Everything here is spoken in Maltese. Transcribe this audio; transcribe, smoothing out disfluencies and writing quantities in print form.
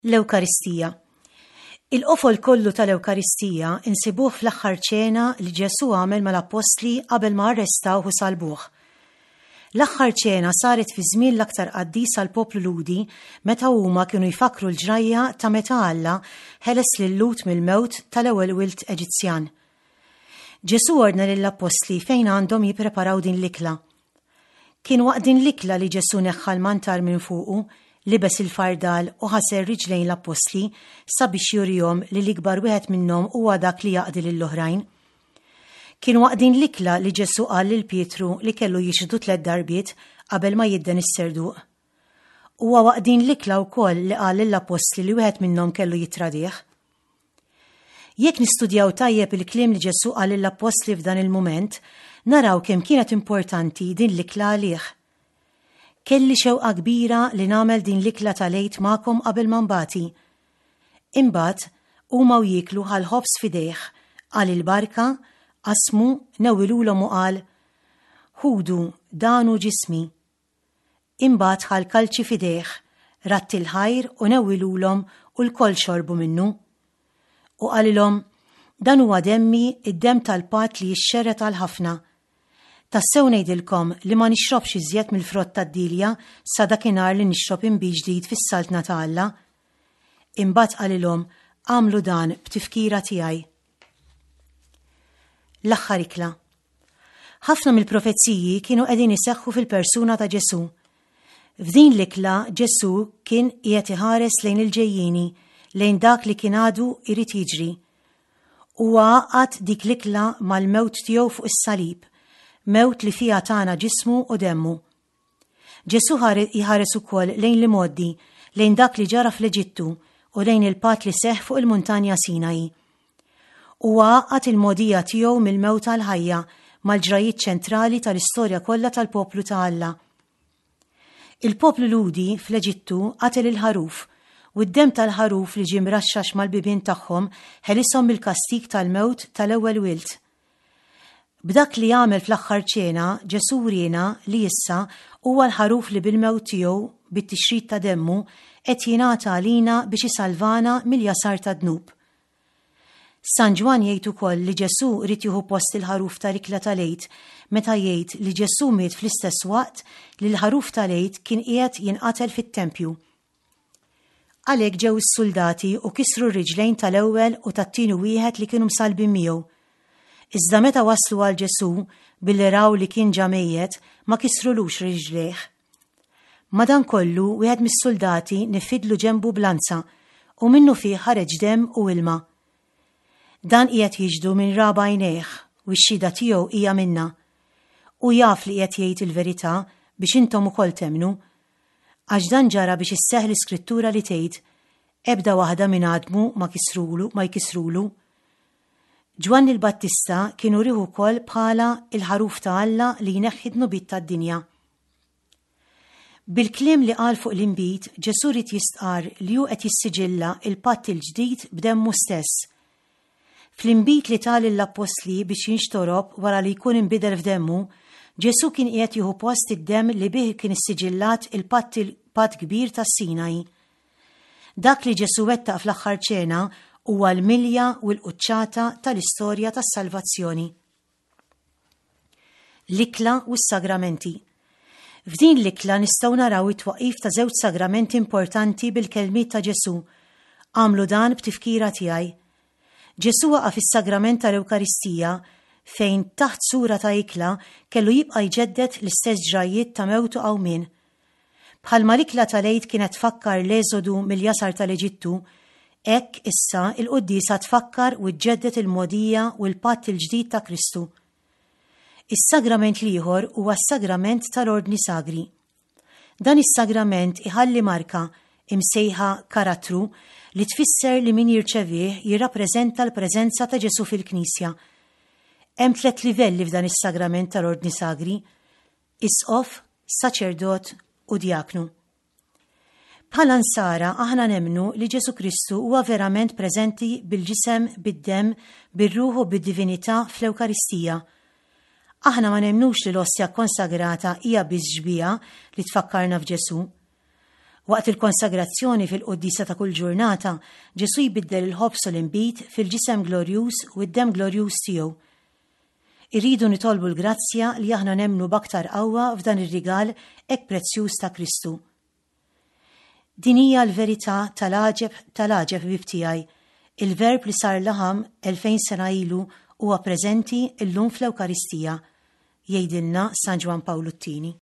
L-Ewkaristija. Il-qofol kollu tal-Ewkaristija insibuh fl-aħħar ċena li Ġesù għamel mal-appostli qabel ma arrestawh u salbuh. L-aħħar ċena saret fi żmien l-aktar qaddis għall-poplu Lhudi meta huma kienu jfakkru l-ġrajja ta' meta Alla ħeles lil-Lhud mill-mewt tal-ewwel wild Eġizzjan. Ġesù ordna lill-appostli fejn għandhom jippreparaw din l-ikla. Kien waqt din l-ikla li Ġesù neħħa l-mantar minn fuqu, libes il-fardal u ħasel riġlejn l-appostli sabiex jurihom li l-ikbar wieħed minnhom huwa dak li jaqdi lill-oħrajn. Kien waqt din l-ikla li Ġesù qal lil Pietru li kellu jixhdu tlett darbiet qabel ma jidden is-serduq. Huwa waqt din l-ikla wkoll li qal lill-appostli li wieħed minnhom kellu jittradih. Jekk nistudjaw tajjeb il-kliem li Ġesù qal lill-appostli f'dan il-mument, naraw kemm kienet importanti din l-ikla għalih. Kelli xewqa kbira li nagħmel din l-ikla tal-Għid magħkom qabel ma nbati. Imbagħad, huma u jieklu ħa l-ħobż f'idejh, qal il-barka, qasmu, newwilulhom u qal, Ħudu, dan hu ġismi. Imbagħad ħa l-kalċi f'idejh, radd il-ħajr u newwilulhom u lkoll xorbu minnu. U qalilhom, Dan huwa demmi, id-demm tal-patt li jixxerred għal ħafna. Tassew ngħidilkom li ma nixrobx iżjed mill-frott tad-dielja sa dakinhar li nixrob inbid ġdid fis-saltna ta' Alla. Imbagħad qalilhom, Agħmlu dan b'tifkira tiegħi. L-aħħar ikla. Ħafna mill-profeziji kienu qegħdin iseħħu fil-persuna ta' Ġesù. F'din l-ikla Ġesù kien qiegħed iħares lejn il-ġejjieni, lejn dak li kien għadu jrid jiġri. Huwa għaqqad dik l-ikla mal-mewt tiegħu fuq is-salib, mewt li fiha tana ġismu u demmu. Ġesù jħares ukoll lejn l-imgħoddi, lejn dak li ġara fl-Eġittu u lejn il-patt li seħħ fuq il-muntanja Sinai. Huwa għaqqad il-mogħdija tiegħu mill-mewt għall-ħajja mal-ġrajjiet ċentrali tal-istorja kollha tal-poplu ta' Alla. Il-poplu Lhudi fl-Eġittu qatel il-ħaruf, u d-demm tal-ħaruf li ġie mraxxax mal-bibien tagħhom ħelishom mill-kastig tal-mewt tal-ewwel wild. B'dak li għamel fl-aħħar ċena, Ġesù wriena li issa huwa l-ħaruf li bil-mewt tiegħu, bit-tixrid ta' demmu, qed jingħata għalina biex isalvana mill-jasar tad-dnub. San Ġwann jgħid ukoll li Ġesù ried jieħu post il-ħaruf tal-ikla tal-Għid meta jgħid li Ġesù miet fl-istess waqt li l-ħaruf tal-Għid kien qiegħed jinqatel fit-tempju. Għalhekk ġew is-suldati u kisru r-riġlejn tal-ewwel u tat-tieni wieħed li kienu msallbin miegħu. Iżda meta waslu għal Ġesù, billi raw li kien ġa mejjet, ma kisrulux riġlejh. Madankollu, wieħed mis-suldati nifidlu ġenbu b'lanza, u minnufih ħareġ demm u ilma. Dan qiegħed jixhdu min ra b'għajnejh, u x-xhieda tiegħu hija minnha. Hu jaf li qiegħed jgħid il-verità biex intom ukoll temmnu. Għax dan ġara biex isseħħ l-iskrittura li tgħid, Ebda waħda minn għadmu ma kisrulu, ma jkissrulu. Ġwanni l-Battista kien urih ukoll bħala il-ħaruf ta' Alla li jneħħi d-dnubiet tad-dinja. Bil-kliem li qal fuq l-inbid, Ġesù ried jistqarr li hu qed jissiġilla il-patt il-ġdid b'demmu stess. Fl-inbid li ta lill-appostli biex jinxtorob wara li jkun inbidel f'demmu, Ġesù kien qiegħed jieħu post id-demm li bih kien issiġillat il-patt il-patt kbir tas-Sinaj. Dak li Ġesù wettaq fl-aħħar ċena huwa l-milja u l-quċċata tal-istorja tas-salvazzjoni. L-ikla u s-sagramenti. F'din l-ikla nistgħu naraw it-twaqqif ta' żewġ sagramenti importanti bil-kelmiet ta' Ġesù, Agħmlu dan b'tifkira tiegħi. Ġesù waqaf is-sagrament tal-Ewkaristija fejn taħt sura ta' ikla kellu jibqa' jġedded l-istess ġrajjiet ta' mewt u qawmien. Bħalma l-ikla tal-Għid kienet tfakkar l-Eżodu mill-jasar tal-Eġittu, hekk issa l-quddiesa tfakkar u ġġedded il-mogħdija u l-patt il-ġdid ta' Kristu. Is-sagrament l-ieħor huwa s-sagrament tal-Ordni Sagri. Dan is-sagrament iħalli marka, imsejħa karattru, li tfisser li min jirċevih jirrappreżenta l-preżenza ta' Ġesù fil-Knisja. Hemm tlett livelli f'dan is-sagrament tal-Ordni Sagri, Isqof, saċerdot u djaknu. Bħala Nsara aħna nemmnu li Ġesù Kristu huwa verament preżenti bil-ġisem, bid-demm, bir-ruħ u bid-divinità fl-Ewkaristija. Aħna ma nemmnux li l-ostja kkonsagrata hija biss xbieha li tfakkarna f'Ġesù. Waqt il-konsagrazzjoni fil-quddiesa ta' kull ġurnata, Ġesù jbiddel il-ħobż u l-inbid fil-ġisem glorjuż u d-demm glorjuż tiegħu. Irridu nitolbu l-grazzja li aħna nemmnu b'aktar qawwa f'dan ir-rigal hekk prezzjuż ta' Kristu. Din hija l-verità tal-għaġeb tal-għaġeb ħbieb tiegħi. Il-Verb li sar laħam 2000 sena ilu huwa preżenti llum fl-Ewkaristija, jgħidilna San Ġwann Pawlu t-Tieni.